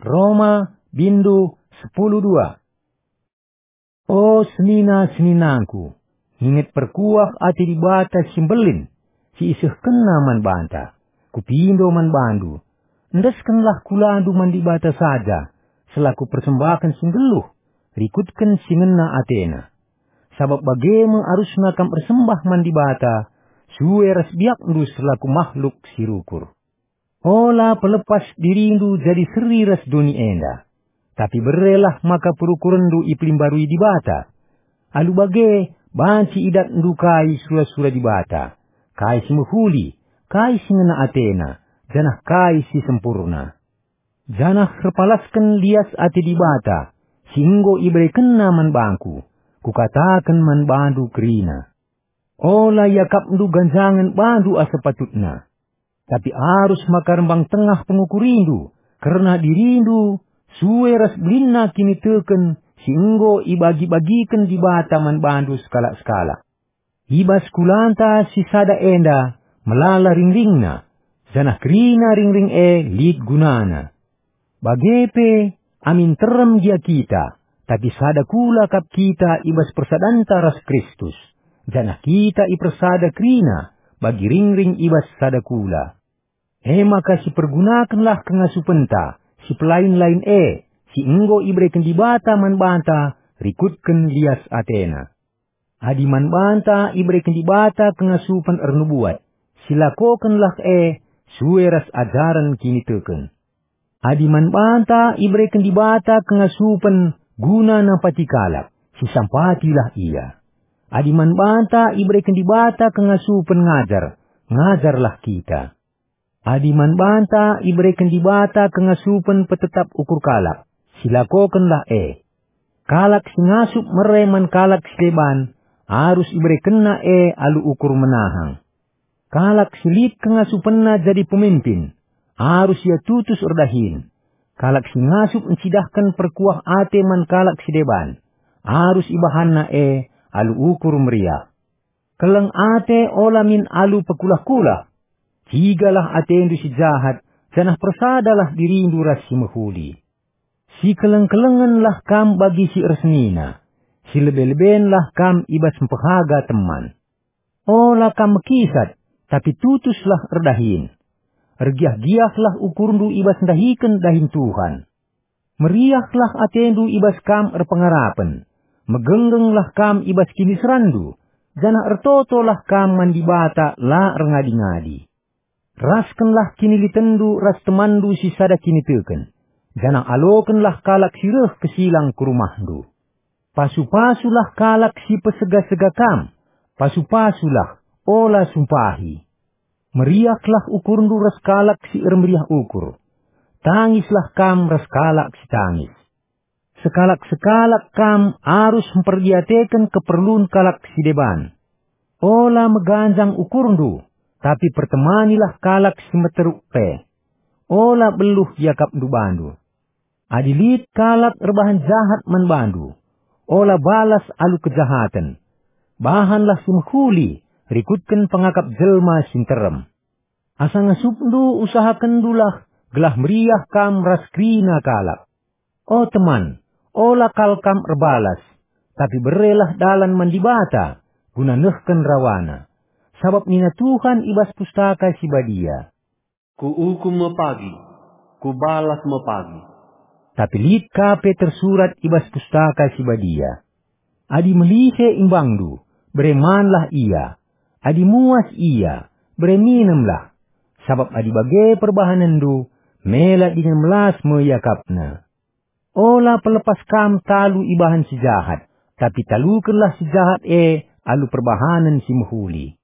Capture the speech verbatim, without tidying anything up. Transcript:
Roma, bindu sepuluh dua. O senina-seninangku, nginget perkuah ate Dibata si mbelin, si isehkenNa man banta. Kupindo man bandu, endeskenlah kulandu man Dibata saja, selaku persembahen si nggeluh, rikutken si ngena ateNa. Sabap bage me arusna kam ersembah man Dibata, sue ras biakndu selaku mahluk si rukur. Ola pelepas dirindu jadi seri ras doni enda, tapi berelah maka perukurenndu ipelimbarui Dibata. Alu bage, banci idatndu kai sura-sura Dibata, kai si mehuli, kai si ngena ateNa, janah kai si sempurna. Janah erpalasken lias ate Dibata, si enggo iberekenNa man bangku, kukataken man bandu kerina. Ola iakapndu ganjangen bandu asa patutna. Tapi arus maka rembang tengah pengukurindu, kerna dirindu, sue ras belinna kiniteken si enggo ibagi-bagiken Dibata man bandu sekalak-sekalak. I bas kulanta si sada enda melala ringringna, janah kerina ringring e lit gunana. Bage pe, amin terem gia kita, tapi sada kula kap kita i bas persadanta ras Kristus, janah kita ipersada kerina bagi ringring i bas sada kula. E maka sipergunakenlah kengasupenta si pelain-lain e, si enggo ibereken Dibata man banta rikutken lias ateNa. Adi man banta ibereken Dibata kengasupen ernubuat, silakokenlah e sue ras ajaren kiniteken. Adi man banta ibereken Dibata kengasupen guna nampati kalak, sisampatilah ia. Adi man banta ibereken Dibata kengasupen ngajar, ngajarlah kita. Adi man banta ibereken Dibata kengasupen petetap ukur kalak, silakokenlah e. Kalak si ngasup mere man kalak si deban, arus iberekenna e alu ukur menahang. Kalak si lit kengasupenna jadi pemimpin, arus ia tutus erdahin. Kalak si ngasup ncidahken perkuah ate man kalak si deban, arus ibahanna e alu ukur meriah. Keleng ate ola min alu pekulah-kulah. Cigalah atendu si jahat, janah persadalah dirindu ras si mehuli. Sikeleng-kelengenlah kam bagi si ersenina, silebe-lebenlah kam i bas mpehaga teman. Ola kam mekisat, tapi tutuslah erdahin. Ergiah-giahlah ukurndu i bas ndahiken dahin Tuhan. Meriahlah atendu i bas kam erpengarapen, megenggengllah kam i bas kiniseranndu, janah ertotolah kam man Dibata la erngadi-ngadi. Raskenlah kinilitenndu ras temanndu si sada kiniteken, janah alokenlah kalak si reh kesilang ku rumahndu. Pasu-pasulah kalak si pesega-sega kam, pasu-pasulah, ola sumpahi. Meriahlah ukurndu ras kalak si ermeriah ukur. Tangislah kam ras kalak si tangis. Sekalak-sekalak kam arus mperdiateken keperlun kalak si deban. Ola meganjang ukurndu, tapi pertemanilah kalak si meteruk pe. Ola beluh iakapndu bandu. Adi lit kalak erbahan jahat man bandu, ola balas alu kejahaten. Bahanlah si mehuli, rikutken pengakap jelma si nterem. Asa ngasupndu usahakenndulah gelah meriah kam ras kerina kalak. O teman, ola kal kam erbalas, tapi berelah dalan man Dibata guna nehken rawaNa. Sabap nina Tuhan i bas Pustaka Si Badia, "Kuukum me pagi, Kubalas me pagi." Tapi lit ka pe tersurat i bas Pustaka Si Badia, "Adi melihe imbangndu, bere manlah ia. Adi muas ia, bere minemlah. Sabap adi bage perbahanenndu, mela dingen melas me iakapna." Ola pelepas kam talu ibahan si jahat, tapi talukenlah si jahat e alu perbahanen si mehuli.